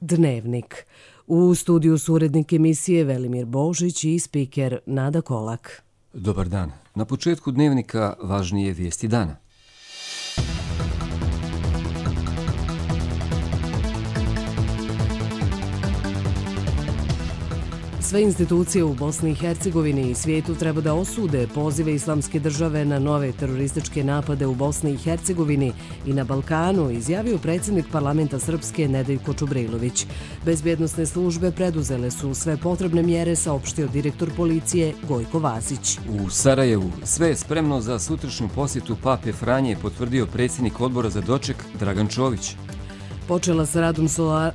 Dnevnik. U studiju su urednik emisije Velimir Božić i spiker Nada Kolak. Dobar dan. Na početku Dnevnika važnije vijesti dana. Sve institucije u Bosni i Hercegovini i svijetu treba da osude pozive Islamske države na nove terorističke napade u Bosni i Hercegovini i na Balkanu, izjavio predsjednik parlamenta Srpske Nedeljko Čubrilović. Bezbjednosne službe preduzele su sve potrebne mjere, saopštio direktor policije Gojko Vasić. U Sarajevu sve je spremno za sutrašnju posjetu Pape Franje, potvrdio predsjednik odbora za doček Dragan Čović. Počela s radom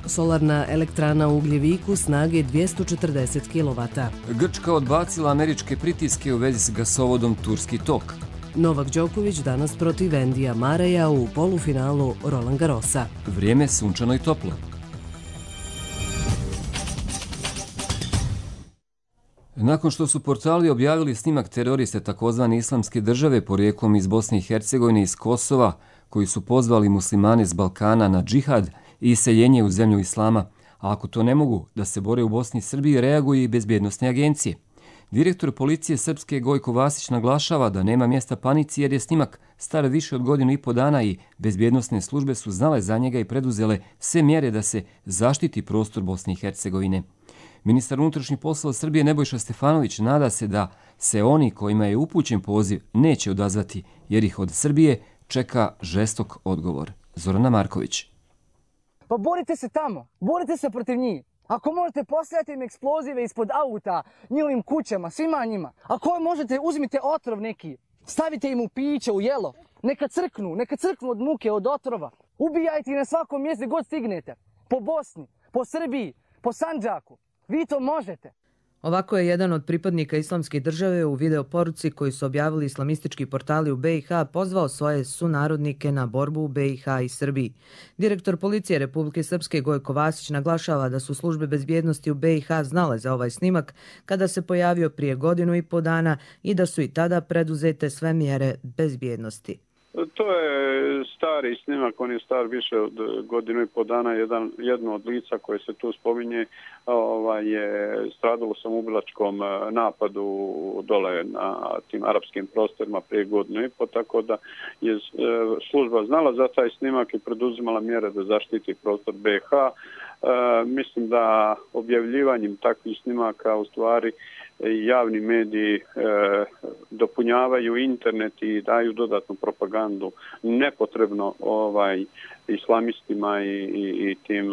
solarna elektrana u Ugljeviku snage 240 kW. Grčka odbacila američke pritiske u vezi s gasovodom Turski tok. Novak Đoković danas protiv Endija Mareja u polufinalu Roland Garrosa. Vrijeme sunčano i toplo. Nakon što su portali objavili snimak teroriste takozvane Islamske države porijeklom iz Bosne i Hercegovine i iz Kosova, koji su pozvali muslimane s Balkana na džihad i iseljenje u zemlju islama, a ako to ne mogu da se bore u Bosni i Srbiji, reaguju i bezbjednosne agencije. Direktor policije Srpske Gojko Vasić naglašava da nema mjesta panici jer je snimak star više od godinu i po dana i bezbjednosne službe su znale za njega i preduzele sve mjere da se zaštiti prostor Bosne i Hercegovine. Ministar unutrašnjih poslova Srbije Nebojša Stefanović nada se da se oni kojima je upućen poziv neće odazvati jer ih od Srbije čeka žestok odgovor. Zorana Marković. Pa borite se tamo, borite se protiv njih. Ako možete postavljati im eksplozive ispod auta, njihovim kućama, svima njima. Ako možete, uzmite otrov neki, stavite im u piće, u jelo. Neka crknu od muke, od otrova. Ubijajte ih na svakom mjestu god stignete. Po Bosni, po Srbiji, po Sandžaku. Vi to možete. Ovako je jedan od pripadnika Islamske države u videoporuci koji su objavili islamistički portali u BiH pozvao svoje sunarodnike na borbu u BiH i Srbiji. Direktor policije Republike Srpske Gojko Vasić naglašava da su službe bezbjednosti u BiH znale za ovaj snimak kada se pojavio prije godinu i po dana i da su i tada preduzete sve mjere bezbjednosti. To je stari snimak, on je star više od godinu i po dana. Jedno od lica koje se tu spominje je stradalo samoubilačkom napadu dole na tim arapskim prostorima prije godinu i po, tako da je služba znala za taj snimak i preduzimala mjere da zaštiti prostor BiH. Mislim da objavljivanjem takvih snimaka u stvari javni mediji dopunjavaju internet i daju dodatnu propagandu nepotrebno islamistima i tim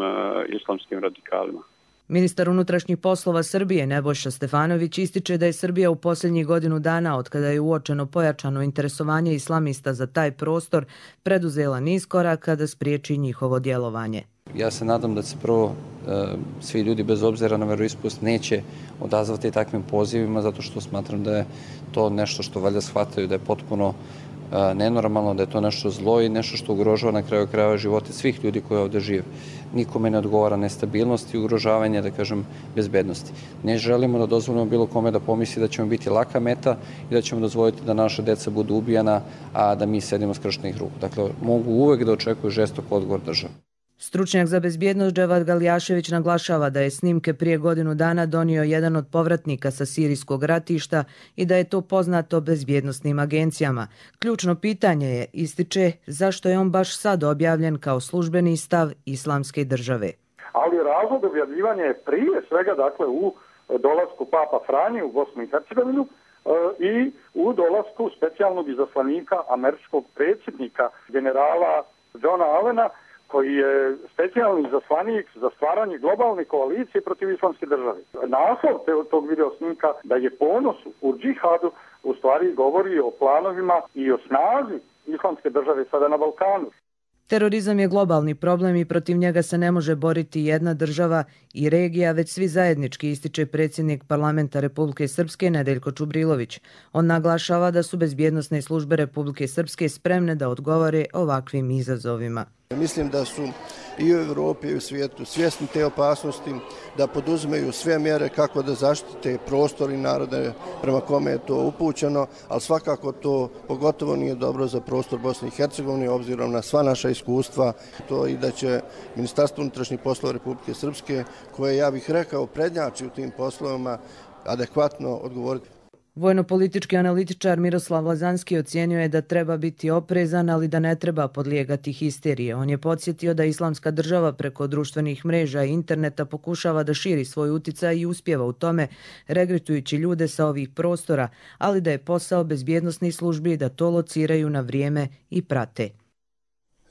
islamskim radikalima. Ministar unutrašnjih poslova Srbije Nebojša Stefanović ističe da je Srbija u posljednjih godinu dana, od kada je uočeno pojačano interesovanje islamista za taj prostor, preduzela niz koraka da spriječi njihovo djelovanje. Ja se nadam da se prvo svi ljudi bez obzira na veroispovest neće odazvati takvim pozivima, zato što smatram da je to nešto što valjda shvataju da je potpuno nenormalno, da je to nešto zlo i nešto što ugrožava na kraju krajeva živote svih ljudi koji ovdje žive. Nikome ne odgovara nestabilnost i ugrožavanje, da kažem, bezbednosti. Ne želimo da dozvolimo bilo kome da pomisli da ćemo biti laka meta i da ćemo dozvoliti da naša deca budu ubijana, a da mi sedimo skrštenih ruku. Dakle, mogu uvek da očekuju žestok odgovor države. Stručnjak za bezbjednost Dževad Galjašević naglašava da je snimke prije godinu dana donio jedan od povratnika sa sirijskog ratišta i da je to poznato bezbjednosnim agencijama. Ključno pitanje je, ističe, zašto je on baš sad objavljen kao službeni stav Islamske države. Ali razlog objavljivanja je prije svega dakle u dolasku Papa Franje u Bosnu i Hercegovinu i u dolasku specijalnog izaslanika američkog predsjednika generala Johna Allena, koji je specijalni izaslanik za stvaranje globalne koalicije protiv Islamske države. Naslov tog video snimka da je ponos u džihadu u stvari govori o planovima i o snazi Islamske države sada na Balkanu. Terorizam je globalni problem i protiv njega se ne može boriti jedna država i regija, već svi zajednički, ističe predsjednik parlamenta Republike Srpske Nedeljko Čubrilović. On naglašava da su bezbjednosne službe Republike Srpske spremne da odgovore ovakvim izazovima. Mislim da su i u Evropi i u svijetu svjesni te opasnosti, da poduzimaju sve mjere kako da zaštite prostor i narode prema kome je to upućeno, ali svakako to pogotovo nije dobro za prostor Bosne i Hercegovine, obzirom na sva naša iskustva, to i da će Ministarstvo unutrašnjih poslova Republike Srpske, koje, ja bih rekao, prednjači u tim poslovima, adekvatno odgovoriti. Vojno-politički analitičar Miroslav Lazanski ocijenio je da treba biti oprezan, ali da ne treba podlijegati histerije. On je podsjetio da Islamska država preko društvenih mreža i interneta pokušava da širi svoj uticaj i uspjeva u tome, regrutujući ljude sa ovih prostora, ali da je posao bezbjednosnih službi da to lociraju na vrijeme i prate.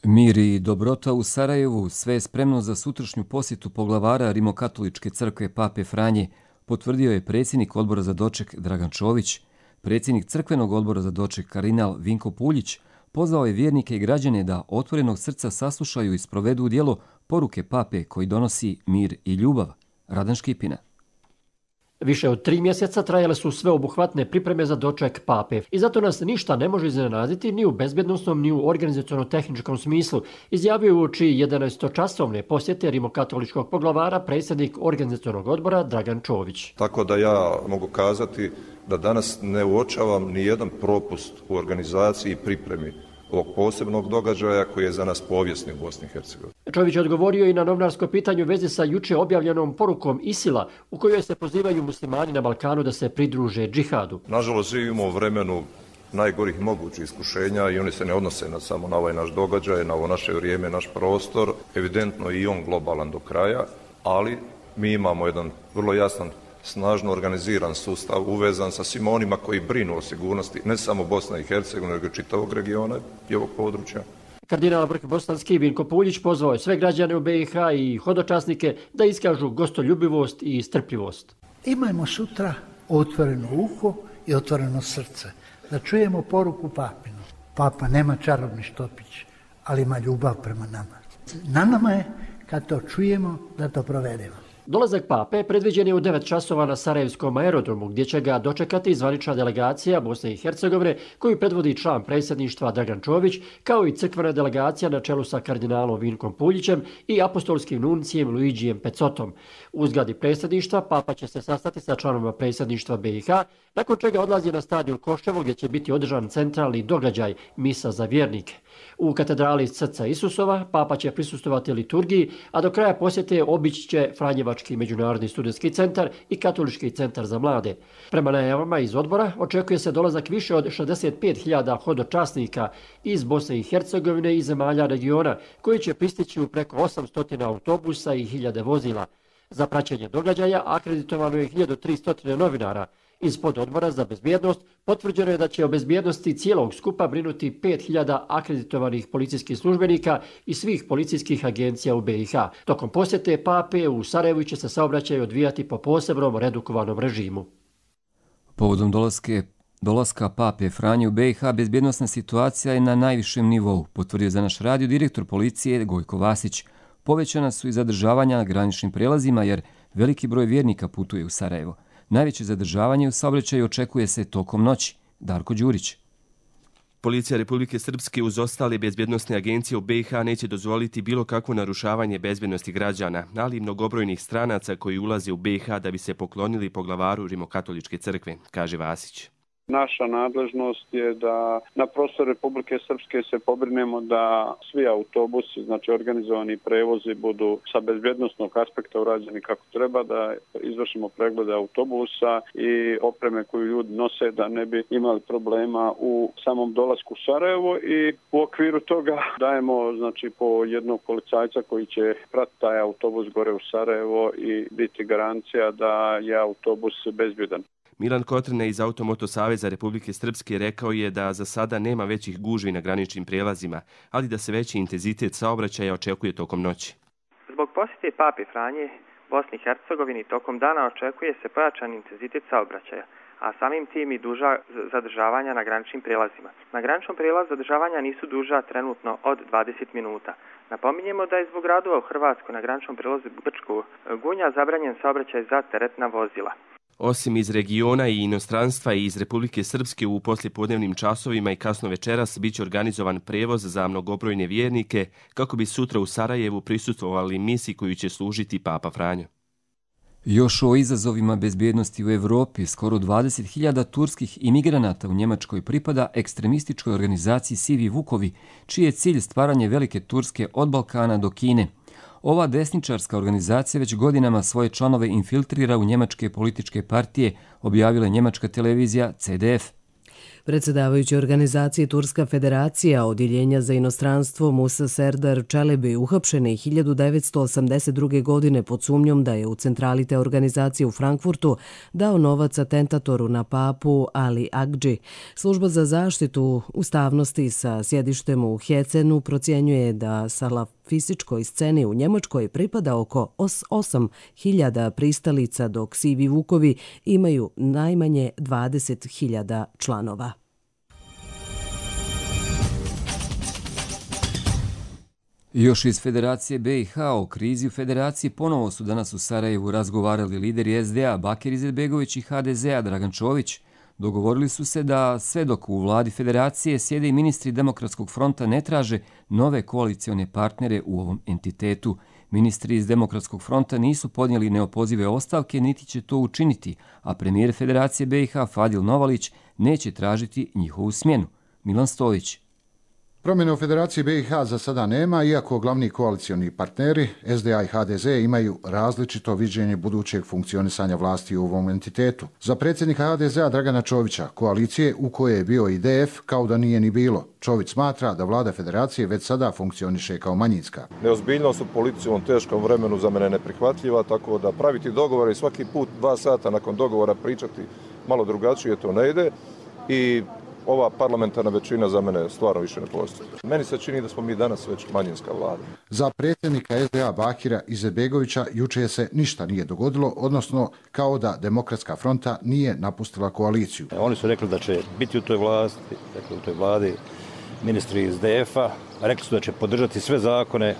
Mir i dobrota u Sarajevu, sve je spremno za sutrašnju posjetu poglavara Rimokatoličke crkve Pape Franje, potvrdio je predsjednik odbora za doček Dragan Čović. Predsjednik crkvenog odbora za doček kardinal Vinko Puljić pozvao je vjernike i građane da otvorenog srca saslušaju i sprovedu u djelo poruke pape koji donosi mir i ljubav. Radan Škipina. Više od 3 mjeseca trajale su sveobuhvatne pripreme za doček pape i zato nas ništa ne može iznenaditi ni u bezbjednosnom ni u organizaciono-tehničkom smislu, izjavio uoči 11-časovne posjete rimokatoličkog poglavara predsjednik organizacionog odbora Dragan Čović. Tako da ja mogu kazati da danas ne uočavam ni jedan propust u organizaciji i pripremi ovog posebnog događaja koji je za nas povijesni u Bosni i Hercegovini. Čović je odgovorio i na novinarsko pitanje u vezi sa juče objavljenom porukom ISIL-a u kojoj se pozivaju muslimani na Balkanu da se pridruže džihadu. Nažalost, živimo u vremenu najgorih mogućih iskušenja i oni se ne odnose samo na ovaj naš događaj, na ovo naše vrijeme, naš prostor. Evidentno i on globalan do kraja, ali mi imamo jedan vrlo jasan, snažno organiziran sustav uvezan sa svima onima koji brinu o sigurnosti ne samo Bosne i Hercegovine, nego čitavog regiona i ovog područja. Kardinal vrh bosanski Vinko Puljić pozvao je sve građane u BiH i hodočasnike da iskažu gostoljubivost i strpljivost. Imajmo sutra otvoreno uho i otvoreno srce, da čujemo poruku papinu. Papa nema čarobni štopić, ali ima ljubav prema nama. Na nama je, kad to čujemo, da to provedemo. Dolazak pape predviđen je u 9 časova na Sarajevskom aerodromu, gdje će ga dočekati zvanična delegacija Bosne i Hercegovine, koju predvodi član predsjedništva Dragan Čović, kao i crkvena delegacija na čelu sa kardinalom Vinkom Puljićem i apostolskim nuncijem Luigijem Pecotom. U zgradi predsjedništva papa će se sastati sa članovima predsjedništva BiH, nakon čega odlazi na stadion Koševo, gdje će biti održan centralni događaj misa za vjernike. U katedrali Srca Isusova papa će prisustovati liturgiji, a do kraja posjete obići će Franjevački međunarodni studentski centar i Katolički centar za mlade. Prema najavama iz odbora očekuje se dolazak više od 65.000 hodočasnika iz Bosne i Hercegovine i zemalja regiona, koji će pristići u preko 800 autobusa i 1000 vozila. Za praćenje događaja akreditovano je 1300 novinara. Iz pododbora za bezbjednost potvrđeno je da će o bezbjednosti cijelog skupa brinuti 5000 akreditovanih policijskih službenika i svih policijskih agencija u BiH. Tokom posjete pape u Sarajevu će se saobraćaj odvijati po posebnom redukovanom režimu. Povodom dolaska pape Franje u BiH bezbjednosna situacija je na najvišem nivou, potvrdio za naš radio direktor policije Gojko Vasić. Povećana su i zadržavanja na graničnim prelazima jer veliki broj vjernika putuje u Sarajevo. Najveće zadržavanje u saobraćaju očekuje se tokom noći. Darko Đurić. Policija Republike Srpske uz ostale bezbjednosne agencije u BiH neće dozvoliti bilo kakvo narušavanje bezbjednosti građana, ali i mnogobrojnih stranaca koji ulaze u BiH da bi se poklonili poglavaru Rimokatoličke crkve, kaže Vasić. Naša nadležnost je da na prostoru Republike Srpske se pobrinemo da svi autobusi, znači organizovani prevozi, budu sa bezbjednosnog aspekta urađeni kako treba, da izvršimo preglede autobusa i opreme koju ljudi nose da ne bi imali problema u samom dolasku u Sarajevo i u okviru toga dajemo znači po jednog policajca koji će pratiti taj autobus gore u Sarajevo i biti garancija da je autobus bezbjedan. Milan Kotrina iz Automoto Saveza Republike Srpske rekao je da za sada nema većih gužvi na graničnim prijelazima, ali da se veći intenzitet saobraćaja očekuje tokom noći. Zbog posjete pape Franje Bosni i Hercegovini tokom dana očekuje se pojačan intenzitet saobraćaja, a samim tim i duža zadržavanja na graničnim prijelazima. Na graničnom prijelazu zadržavanja nisu duža trenutno od 20 minuta. Napominjemo da je zbog radova u Hrvatskoj na graničnom prijelazu Brčko Gunja zabranjen saobraćaj za teretna vozila. Osim iz regiona i inostranstva i iz Republike Srpske u poslijepodnevnim časovima i kasno večeras biće organizovan prevoz za mnogobrojne vjernike kako bi sutra u Sarajevu prisustvovali misi koju će služiti Papa Franjo. Još o izazovima bezbjednosti u Evropi, skoro 20.000 turskih imigranata u Njemačkoj pripada ekstremističkoj organizaciji Sivi Vukovi, čiji je cilj stvaranje velike Turske od Balkana do Kine. Ova desničarska organizacija već godinama svoje članove infiltrira u njemačke političke partije, objavila je njemačka televizija CDF. Predsjedavajući organizacije Turska federacija odjeljenja za inostranstvo Musa Serdar Čelebi uhapšen je 1982. godine pod sumnjom da je u centrali te organizacije u Frankfurtu dao novac atentatoru na papu Ali Agđi. Služba za zaštitu ustavnosti sa sjedištem u Hecenu procjenjuje da salafističkoj sceni u Njemačkoj pripada oko 8.000 pristalica, dok Sivi Vukovi imaju najmanje 20.000 članova. Još iz Federacije BiH o krizi u Federaciji ponovo su danas u Sarajevu razgovarali lideri SDA Bakir Izetbegović i HDZ-a Dragan Čović. Dogovorili su se da sve dok u vladi Federacije sjede i ministri Demokratskog fronta ne traže nove koalicione partnere u ovom entitetu. Ministri iz Demokratskog fronta nisu podnijeli neopozive ostavke, niti će to učiniti, a premijer Federacije BiH Fadil Novalić neće tražiti njihovu smjenu. Milan Stojić. Promjene u Federaciji BiH za sada nema, iako glavni koalicioni partneri SDA i HDZ imaju različito viđenje budućeg funkcionisanja vlasti u ovom entitetu. Za predsjednika HDZ-a Dragana Čovića, koalicije u kojoj je bio IDF kao da nije ni bilo. Čović smatra da vlada Federacije već sada funkcioniše kao manjinska. Neozbiljnost u politici u ovom teškom vremenu za mene neprihvatljiva, tako da praviti dogovore i svaki put 2 sata nakon dogovora pričati malo drugačije to ne ide i ova parlamentarna većina za mene stvarno više ne postoji. Meni se čini da smo mi danas već manjinska vlada. Za predsjednika SDA Bakira Izetbegovića juče se ništa nije dogodilo, odnosno kao da Demokratska fronta nije napustila koaliciju. Oni su rekli da će biti u toj vladi ministri iz DF-a, rekli su da će podržati sve zakone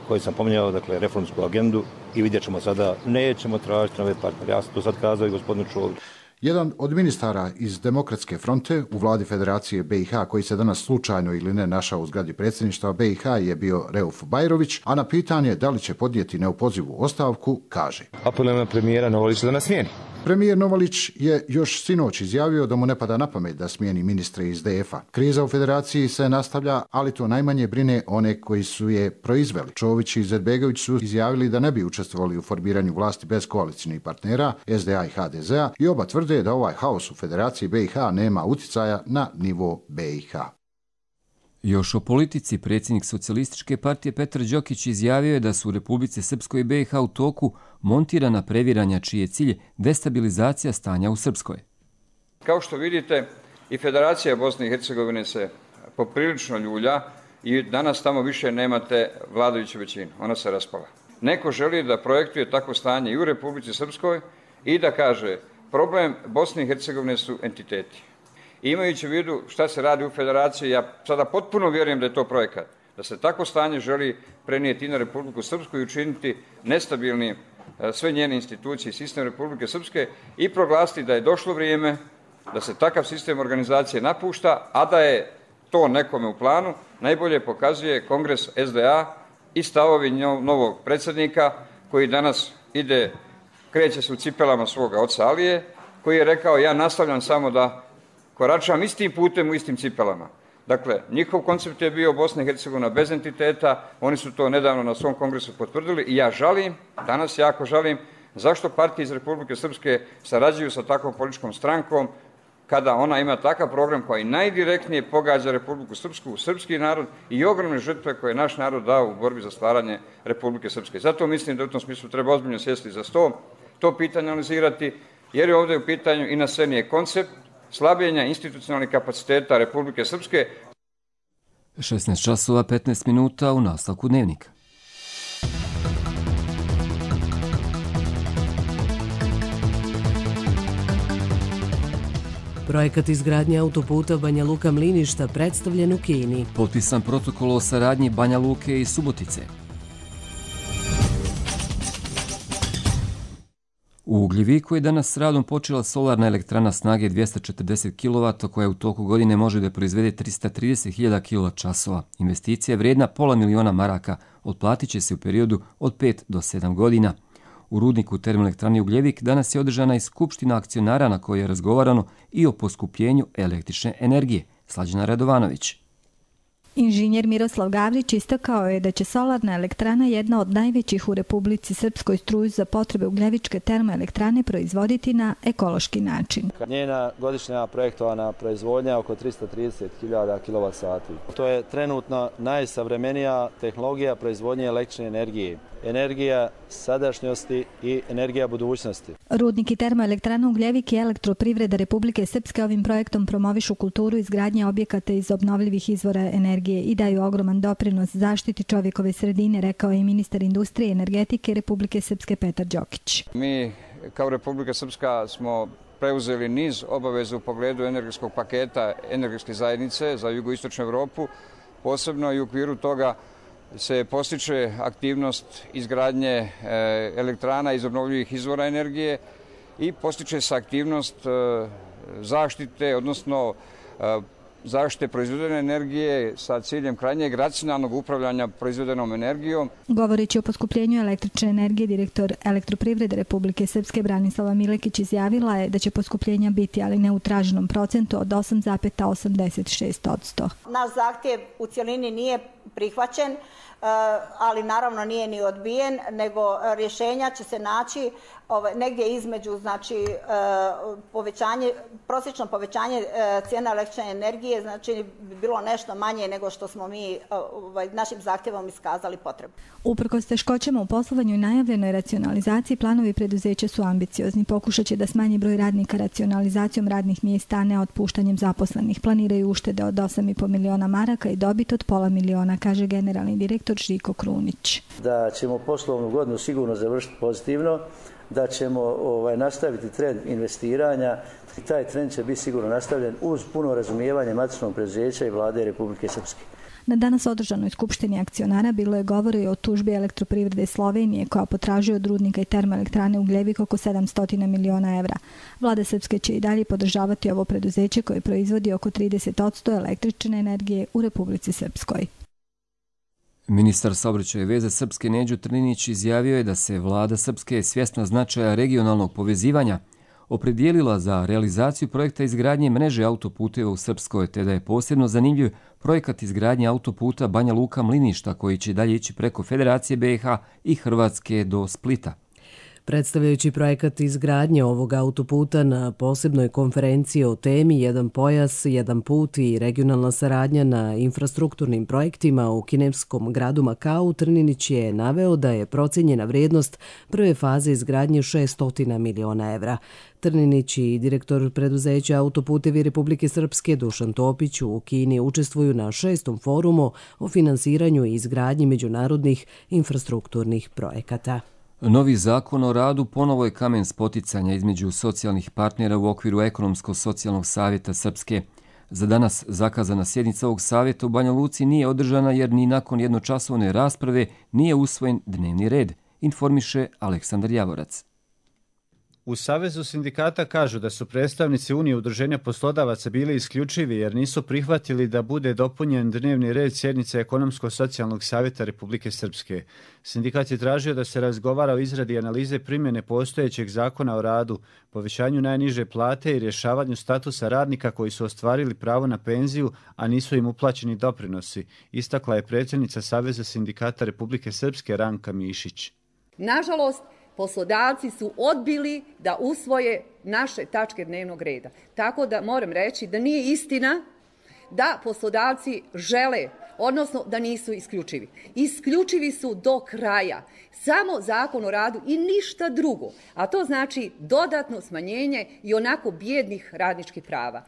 koje sam pominjao, dakle reformsku agendu, i vidjet ćemo sada, nećemo tražiti nove partnere. Ja sam to sad kazao i gospodinu Čoviću. Jedan od ministara iz Demokratske fronte u vladi Federacije BiH, koji se danas slučajno ili ne našao u zgradi predsjedništva BiH, je bio Reuf Bajrović, a na pitanje da li će podnijeti neopozivu ostavku, kaže: Apelujem na premijera Novalića da nas smijeni. Premijer Novalić je još sinoć izjavio da mu ne pada na pamet da smijeni ministre iz DF-a. Kriza u Federaciji se nastavlja, ali to najmanje brine one koji su je proizveli. Čović i Izetbegović su izjavili da ne bi učestvovali u formiranju vlasti bez koalicijnih partnera SDA i HDZ-a i oba tvrde da ovaj haos u Federaciji BiH nema utjecaja na nivo BiH. Još o politici, predsjednik Socijalističke partije Petar Đokić izjavio je da su u Republici Srpskoj i BiH u toku montirana previranja čiji je cilj destabilizacija stanja u Srpskoj. Kao što vidite, i Federacija Bosne i Hercegovine se poprilično ljulja i danas tamo više nemate vladajuću većinu. Ona se raspala. Neko želi da projektuje takvo stanje i u Republici Srpskoj i da kaže problem Bosne i Hercegovine su entiteti. Imajući u vidu šta se radi u Federaciji, ja sada potpuno vjerujem da je to projekat, da se takvo stanje želi prenijeti na Republiku Srpsku i učiniti nestabilni sve njene institucije i sistem Republike Srpske i proglasiti da je došlo vrijeme da se takav sistem organizacije napušta, a da je to nekome u planu, najbolje pokazuje Kongres SDA i stavovi novog predsjednika koji danas kreće se u cipelama svoga oca Alije, koji je rekao: ja nastavljam samo da koračam istim putem u istim cipelama. Dakle, njihov koncept je bio Bosna i Hercegovina bez entiteta, oni su to nedavno na svom kongresu potvrdili i ja žalim, danas jako žalim, zašto partije iz Republike Srpske sarađuju sa takvom političkom strankom kada ona ima takav program koji najdirektnije pogađa Republiku Srpsku, srpski narod i ogromne žrtve koje je naš narod dao u borbi za stvaranje Republike Srpske. Zato mislim da u tom smislu treba ozbiljno sjesti za sto, to pitanje analizirati, jer je ovdje u pitanju i na sceni je koncept slabljenja institucionalnih kapaciteta Republike Srpske. 16 časova 15 minuta u nastavku dnevnika. Projekat izgradnje autoputa Banja Luka-Mliništa predstavljen u Kini. Potpisan protokol o saradnji Banja Luke i Subotice. U Ugljeviku je danas s radom počela solarna elektrana snage 240 kW koja u toku godine može da proizvede 330.000 kWh. Investicija je vrijedna $500.000 maraka, otplatit će se u periodu od 5 do 7 godina. U rudniku termoelektrane Ugljevik danas je održana i skupština akcionara na kojoj je razgovarano i o poskupljenju električne energije. Slađana Radovanović. Inženjer Miroslav Gavrić istakao je da će solarna elektrana, jedna od najvećih u Republici Srpskoj, struju za potrebe Ugljevičke termoelektrane proizvoditi na ekološki način. Njena godišnja projektovana proizvodnja oko 330.000 kWh. To je trenutno najsavremenija tehnologija proizvodnje električne energije. Energija sadašnjosti i energija budućnosti. Rudnik i termoelektrana Ugljevik i Elektroprivreda Republike Srpske ovim projektom promovišu kulturu izgradnje objekata iz obnovljivih izvora energije i daju ogroman doprinos zaštiti čovjekove sredine, rekao je i ministar industrije i energetike Republike Srpske Petar Đokić. Mi kao Republika Srpska smo preuzeli niz obaveza u pogledu energetskog paketa energetske zajednice za jugoistočnu Evropu, posebno i u okviru toga se postiče aktivnost izgradnje elektrana iz obnovljivih izvora energije i postiče se aktivnost zaštite, odnosno zaštite proizvedene energije sa ciljem krajnjeg racionalnog upravljanja proizvedenom energijom. Govoreći o poskupljenju električne energije, direktor Elektroprivrede Republike Srpske Branislava Milekić izjavila je da će poskupljenja biti, ali ne u traženom procentu, od 8,86%. Naš zahtjev u cjelini nije prihvaćen, ali naravno nije ni odbijen, nego rješenja će se naći negdje između, znači prosječno povećanje cijena električne energije, znači bi bilo nešto manje nego što smo mi našim zahtjevom iskazali potrebu. Uprkos teškoćama u poslovanju i najavljenoj racionalizaciji, planovi preduzeća su ambiciozni. Pokušat će da smanji broj radnika racionalizacijom radnih mjesta, a ne otpuštanjem zaposlenih. Planiraju uštede od 8,5 miliona maraka i dobit od $500.000, kaže generalni direktor Žiko Krunić. Da ćemo poslovnu godinu sigurno završiti pozitivno, da ćemo nastaviti trend investiranja i taj trend će biti sigurno nastavljen uz puno razumijevanje matičnog preduzeća i vlade Republike Srpske. Na danas održanoj skupštini akcionara bilo je govora i o tužbi Elektroprivrede Slovenije koja potražuje od rudnika i termoelektrane Ugljevik oko 700 miliona evra. Vlada Srpske će i dalje podržavati ovo preduzeće koje proizvodi oko 30% električne energije u Republici Srpskoj. Ministar saobraćaja i veze Srpske Neđo Trninić izjavio je da se vlada Srpske svjesna značaja regionalnog povezivanja opredijelila za realizaciju projekta izgradnje mreže autoputeva u Srpskoj, te da je posebno zanimljiv projekat izgradnje autoputa Banja Luka Mliništa koji će dalje ići preko Federacije BiH i Hrvatske do Splita. Predstavljajući projekat izgradnje ovog autoputa na posebnoj konferenciji o temi Jedan pojas, jedan put i regionalna saradnja na infrastrukturnim projektima u kineskom gradu Makau, Trninić je naveo da je procijenjena vrijednost prve faze izgradnje 600 miliona evra. Trninić i direktor preduzeća Autoputevi Republike Srpske Dušan Topić u Kini učestvuju na 6. forumu o finansiranju i izgradnji međunarodnih infrastrukturnih projekata. Novi zakon o radu ponovo je kamen spoticanja između socijalnih partnera u okviru Ekonomsko-socijalnog savjeta Srpske. Za danas zakazana sjednica ovog savjeta u Banja Luci nije održana jer ni nakon jednočasovne rasprave nije usvojen dnevni red, informiše Aleksandar Javorac. U Savezu sindikata kažu da su predstavnici Unije udruženja poslodavaca bili isključivi jer nisu prihvatili da bude dopunjen dnevni red sjednice Ekonomsko-socijalnog savjeta Republike Srpske. Sindikat je tražio da se razgovara o izradi analize primjene postojećeg zakona o radu, povećanju najniže plate i rješavanju statusa radnika koji su ostvarili pravo na penziju, a nisu im uplaćeni doprinosi, istakla je predsjednica Saveza sindikata Republike Srpske Ranka Mišić. Nažalost, poslodavci su odbili da usvoje naše tačke dnevnog reda. Tako da moram reći da nije istina da poslodavci žele, odnosno da nisu isključivi. Isključivi su do kraja. Samo zakon o radu i ništa drugo. A to znači dodatno smanjenje i onako bijednih radničkih prava.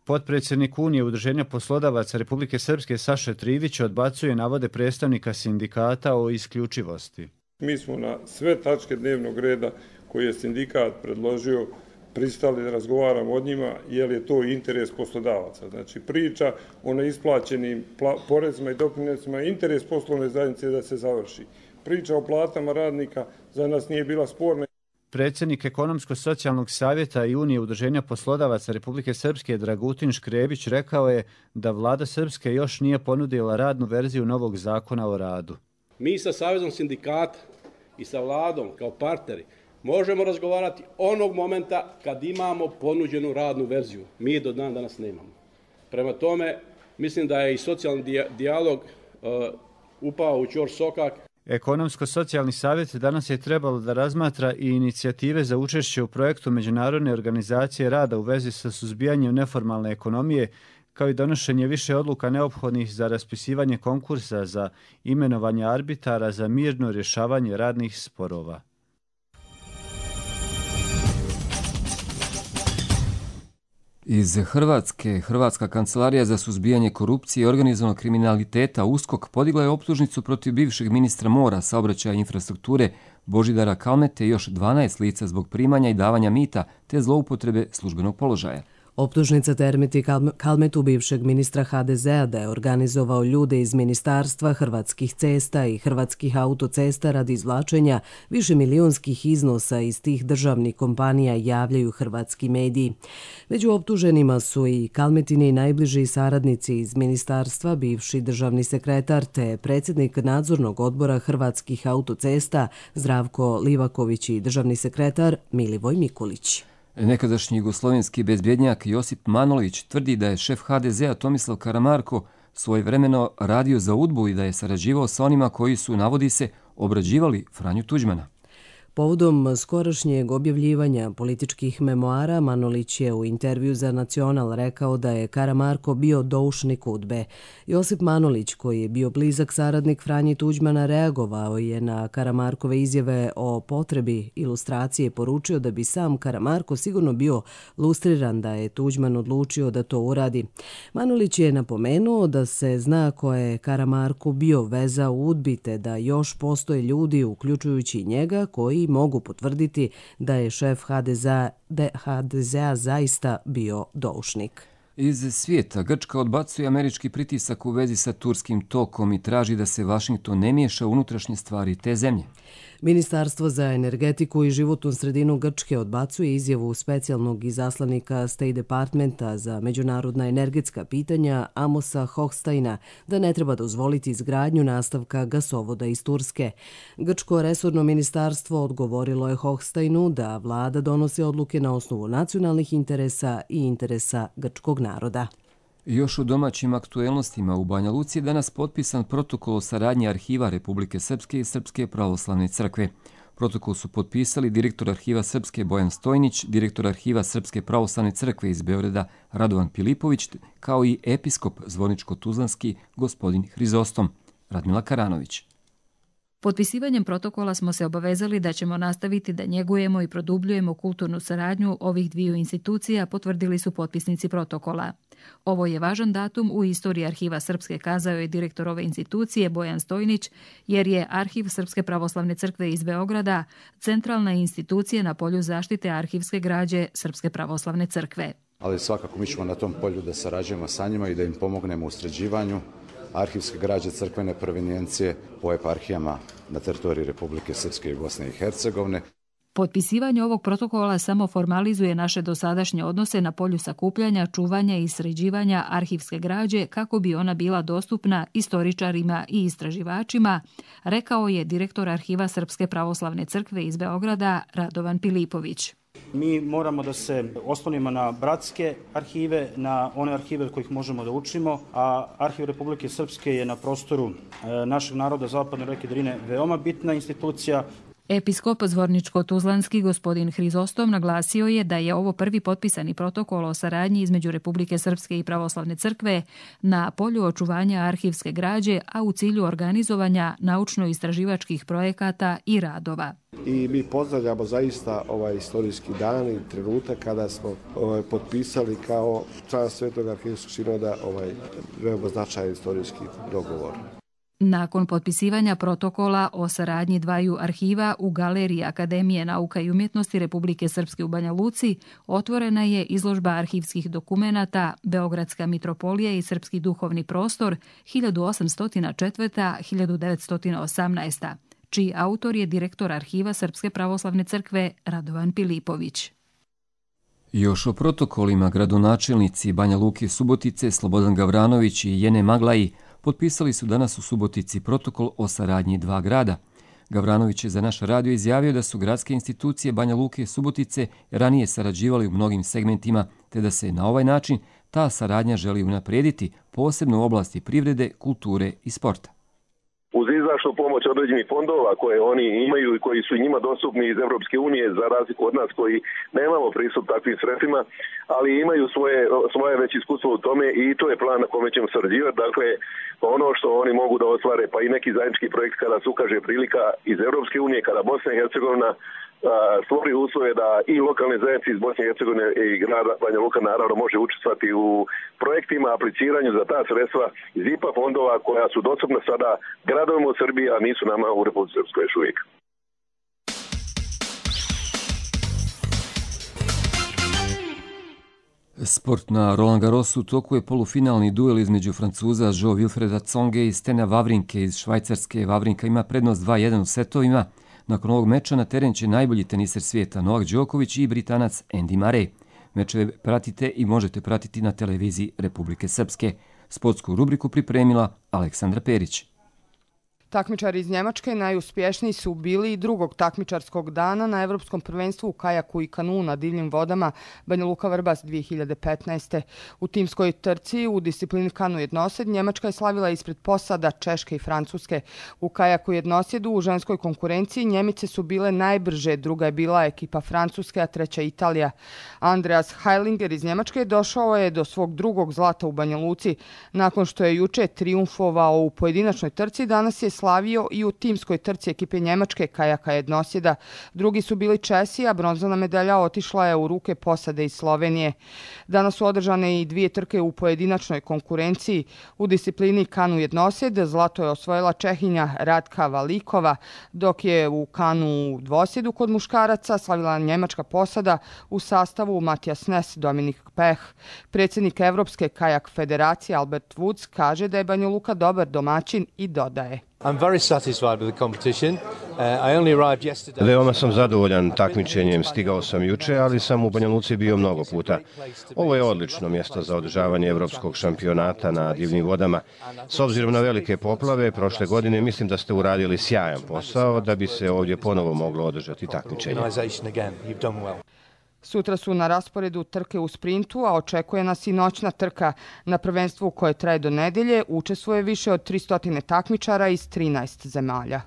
Potpredsjednik Unije udruženja poslodavaca Republike Srpske Saša Trivić odbacuje navode predstavnika sindikata o isključivosti. Mi smo na sve tačke dnevnog reda koje je sindikat predložio pristali da razgovaramo o njima jer je to interes poslodavaca. Znači priča o neisplaćenim porezima i doprinosima, interes poslovne zajednice da se završi. Priča o platama radnika za nas nije bila sporna. Predsjednik Ekonomsko-socijalnog savjeta i Unije udruženja poslodavaca Republike Srpske Dragutin Škrebić rekao je da vlada Srpske još nije ponudila radnu verziju novog zakona o radu. Mi sa Savezom sindikata i sa vladom kao partneri možemo razgovarati onog momenta kad imamo ponuđenu radnu verziju. Mi je do dan danas nemamo. Prema tome, mislim da je i socijalni dijalog upao u ćor sokak. Ekonomsko-socijalni savjet danas je trebalo da razmatra i inicijative za učešće u projektu Međunarodne organizacije rada u vezi sa suzbijanjem neformalne ekonomije, kao i donošenje više odluka neophodnih za raspisivanje konkursa za imenovanje arbitara za mirno rješavanje radnih sporova. Iz Hrvatske, Hrvatska kancelarija za suzbijanje korupcije i organizovanog kriminaliteta USKOK podigla je optužnicu protiv bivšeg ministra mora, saobraćaja i infrastrukture Božidara Kalmete i još 12 lica zbog primanja i davanja mita te zloupotrebe službenog položaja. Optužnica termiti Kalmetu, bivšeg ministra HDZ-a, da je organizovao ljude iz Ministarstva Hrvatskih cesta i Hrvatskih autocesta radi izvlačenja višemilijonskih iznosa iz tih državnih kompanija, javljaju hrvatski mediji. Među optuženima su i Kalmetini najbliži saradnici iz ministarstva, bivši državni sekretar te predsjednik nadzornog odbora Hrvatskih autocesta Zdravko Livaković i državni sekretar Milivoj Mikulić. Nekadašnji jugoslovenski bezbjednjak Josip Manolić tvrdi da je šef HDZ-a Tomislav Karamarko svojevremeno radio za UDBU i da je sarađivao sa onima koji su, navodi se, obrađivali Franju Tuđmana. Povodom skorašnjeg objavljivanja političkih memoara, Manolić je u intervju za Nacional rekao da je Karamarko bio doušnik UDBE. Josip Manolić, koji je bio blizak saradnik Franji Tuđmana, reagovao je na Karamarkove izjave o potrebi ilustracije, poručio da bi sam Karamarko sigurno bio lustriran da je Tuđman odlučio da to uradi. Manolić je napomenuo da se zna ko je Karamarko bio veza u UDBI, te da još postoje ljudi, uključujući njega, koji mogu potvrditi da je šef HDZ-a zaista bio doušnik. Iz svijeta Grčka odbacuje američki pritisak u vezi sa turskim tokom i traži da se Vašington ne miješa u unutrašnje stvari te zemlje. Ministarstvo za energetiku i životnu sredinu Grčke odbacuje izjavu specijalnog izaslanika State Departmenta za međunarodna energetska pitanja Amosa Hochsteina da ne treba dozvoliti izgradnju nastavka gasovoda iz Turske. Grčko resorno ministarstvo odgovorilo je Hochsteinu da vlada donosi odluke na osnovu nacionalnih interesa i interesa grčkog naroda. Još u domaćim aktuelnostima u Banja Luci je danas potpisan protokol o saradnji arhiva Republike Srpske i Srpske pravoslavne crkve. Protokol su potpisali direktor arhiva Srpske Bojan Stojnić, direktor arhiva Srpske pravoslavne crkve iz Beograda Radovan Pilipović, kao i episkop Zvorničko-Tuzlanski gospodin Hrizostom. Radmila Karanović. Potpisivanjem protokola smo se obavezali da ćemo nastaviti da njegujemo i produbljujemo kulturnu saradnju ovih dviju institucija, potvrdili su potpisnici protokola. Ovo je važan datum u istoriji arhiva Srpske, kazao je direktor ove institucije Bojan Stojnić, jer je arhiv Srpske pravoslavne crkve iz Beograda centralna institucija na polju zaštite arhivske građe Srpske pravoslavne crkve. Ali svakako mi ćemo na tom polju da sarađujemo sa njima i da im pomognemo u sređivanju arhivske građe crkvene provenijencije po eparhijama na teritoriji Republike Srpske i Bosne i Hercegovine. Potpisivanje ovog protokola samo formalizuje naše dosadašnje odnose na polju sakupljanja, čuvanja i sređivanja arhivske građe kako bi ona bila dostupna istoričarima i istraživačima, rekao je direktor arhiva Srpske pravoslavne crkve iz Beograda Radovan Pilipović. Mi moramo da se oslonimo na bratske arhive, na one arhive od kojih možemo da učimo, a Arhiv Republike Srpske je na prostoru našeg naroda zapadne reke Drine veoma bitna institucija. Episkop Zvorničko-Tuzlanski gospodin Hrizostom naglasio je da je ovo prvi potpisani protokol o saradnji između Republike Srpske i Pravoslavne crkve na polju očuvanja arhivske građe, a u cilju organizovanja naučno-istraživačkih projekata i radova. I mi pozdravljamo zaista ovaj istorijski dan i trenutak kada smo potpisali kao član Svetog arhivskog sinoda veoma značajan istorijski dogovor. Nakon potpisivanja protokola o saradnji dvaju arhiva u Galeriji Akademije nauka i umjetnosti Republike Srpske u Banja Luci otvorena je izložba arhivskih dokumenata Beogradska mitropolija i Srpski duhovni prostor 1804-1918. čiji autor je direktor arhiva Srpske pravoslavne crkve Radovan Pilipović. Još o protokolima gradonačelnici Banja Luke Subotice Slobodan Gavranović i Jene Maglaji potpisali su danas u Subotici protokol o saradnji dva grada. Gavranović je za naš radio izjavio da su gradske institucije Banja Luke Subotice ranije sarađivali u mnogim segmentima, te da se na ovaj način ta saradnja želi unaprijediti, posebno u oblasti privrede, kulture i sporta. Uz izdašnu pomoć određenih fondova koje oni imaju i koji su njima dostupni iz Europske unije, za razliku od nas koji nemamo pristup takvim sredstvima, ali imaju svoje već iskustvo u tome i to je plan na kome ćemo sarađivati. Dakle, ono što oni mogu da ostvare, pa i neki zajednički projekt kada se ukaže prilika iz Europske unije, kada Bosna i Hercegovina stvori uslove da i lokalne zajednice iz Bosne i Hercegovine i grada Banja Luka naravno može učestvovati u projektima, apliciranju za ta sredstva iz IPA fondova koja su dostupna sada gradovima u Srbiji, a nisu nama u Republici Srpskoj još uvijek. Sport na Roland Garrosu u toku je polufinalni duel između Francuza Jo Wilfreda Tsonge i Stena Wawrinke iz Švajcarske. Wawrinka ima prednost 2-1 u setovima. Nakon ovog meča na teren će najbolji teniser svijeta Novak Đoković i Britanac Andy Murray. Mečeve pratite i možete pratiti na televiziji Republike Srpske. Sportsku rubriku pripremila Aleksandra Perić. Takmičari iz Njemačke najuspješniji su bili i drugog takmičarskog dana na Evropskom prvenstvu u kajaku i kanuu na divljim vodama Banja Luka Vrbas 2015. U timskoj trci u disciplini kanu jednosed Njemačka je slavila ispred posada Češke i Francuske. U kajaku jednosjedu u ženskoj konkurenciji Njemice su bile najbrže, druga je bila ekipa Francuske, a treća Italija. Andreas Heilinger iz Njemačke došao je do svog drugog zlata u Banja Luci. Nakon što je juče trijumfovao u pojedinačnoj trci, danas je slavio i u timskoj trci ekipe Njemačke kajaka jednosjeda. Drugi su bili Česi, a bronzana medalja otišla je u ruke posade iz Slovenije. Danas su održane i dvije trke u pojedinačnoj konkurenciji. U disciplini kanu jednosjed zlato je osvojila Čehinja Radka Valikova, dok je u kanu dvosjedu kod muškaraca slavila njemačka posada u sastavu Matijas Nes, Dominik Peh. Predsjednik Evropske kajak federacije Albert Woods kaže da je Banja Luka dobar domaćin i dodaje: Veoma sam zadovoljan takmičenjem, stigao sam juče, ali sam u Banja Luci bio mnogo puta. Ovo je odlično mjesto za održavanje evropskog šampionata na divljim vodama. S obzirom na velike poplave prošle godine mislim da ste uradili sjajan posao da bi se ovdje ponovo moglo održati takmičenje. Sutra su na rasporedu trke u sprintu, a očekuje nas i noćna trka. Na prvenstvu koje traje do nedelje učestvuje više od 300 takmičara iz 13 zemalja.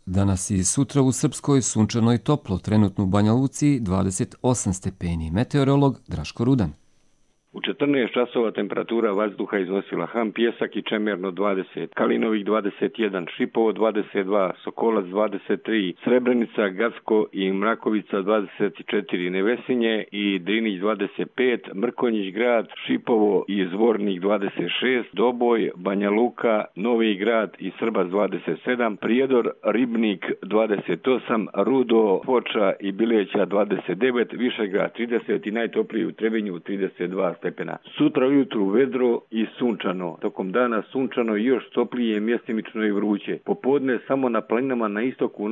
Danas i sutra u Srpskoj sunčano i toplo, trenutno u Banja Luci 28 stepeni. Meteorolog Draško Rudan. U 14 časova temperatura vazduha iznosila Ham Pjesak i Čemerno 20, Kalinovik 21, Šipovo 22, Sokolac 23, Srebrenica, Gacko i Mrakovica 24, Nevesinje i Drinić 25, Mrkonjić grad, Šipovo i Zvornik 26, Doboj, Banja Luka, Novi grad i Srbac 27, Prijedor, Ribnik 28, Rudo, Foča i Bileća 29, Višegrad 30 i najtopliji u Trebinju 32 stepena. Sutra ujutru vedro i sunčano. Tokom dana sunčano i još toplije, mjestimično i vruće. Popodne samo na planinama na istoku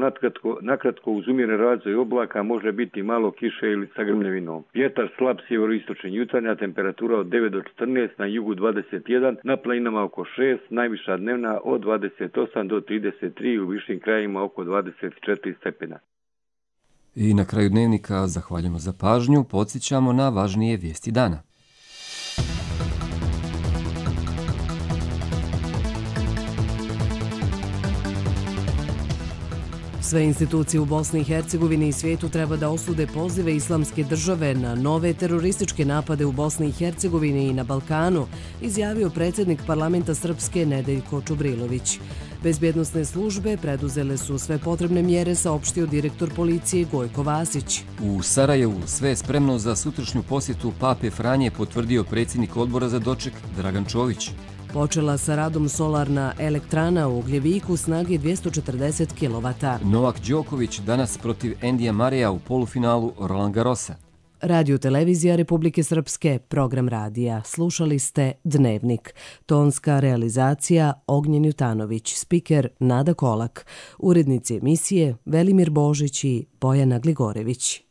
nakratko uz umjeren razvoj oblaka može biti malo kiše ili sa grmljevinom. Vjetar slab sjeveroistočni, jutarnja temperatura od 9 do 14, na jugu 21, na planinama oko 6, najviša dnevna od 28 do 33, u višim krajima oko 24 stepena. I na kraju dnevnika zahvaljujemo za pažnju, podsjećamo na važnije vijesti dana. Sve institucije u Bosni i Hercegovini i svijetu treba da osude pozive Islamske države na nove terorističke napade u Bosni i Hercegovini i na Balkanu, izjavio predsjednik parlamenta Srpske Nedeljko Čubrilović. Bezbjednosne službe preduzele su sve potrebne mjere, saopštio direktor policije Gojko Vasić. U Sarajevu sve je spremno za sutrašnju posjetu Pape Franje, potvrdio predsjednik odbora za doček Dragan Čović. Počela sa radom solarna elektrana u Ugljeviku snage 240 kW. Novak Đoković danas protiv Andya Murraya u polufinalu Roland Garrosa. Radio Televizija Republike Srpske, program radija. Slušali ste Dnevnik. Tonska realizacija Ognjen Jutanović, spiker Nada Kolak, urednici emisije Velimir Božić i Bojana Gligorević.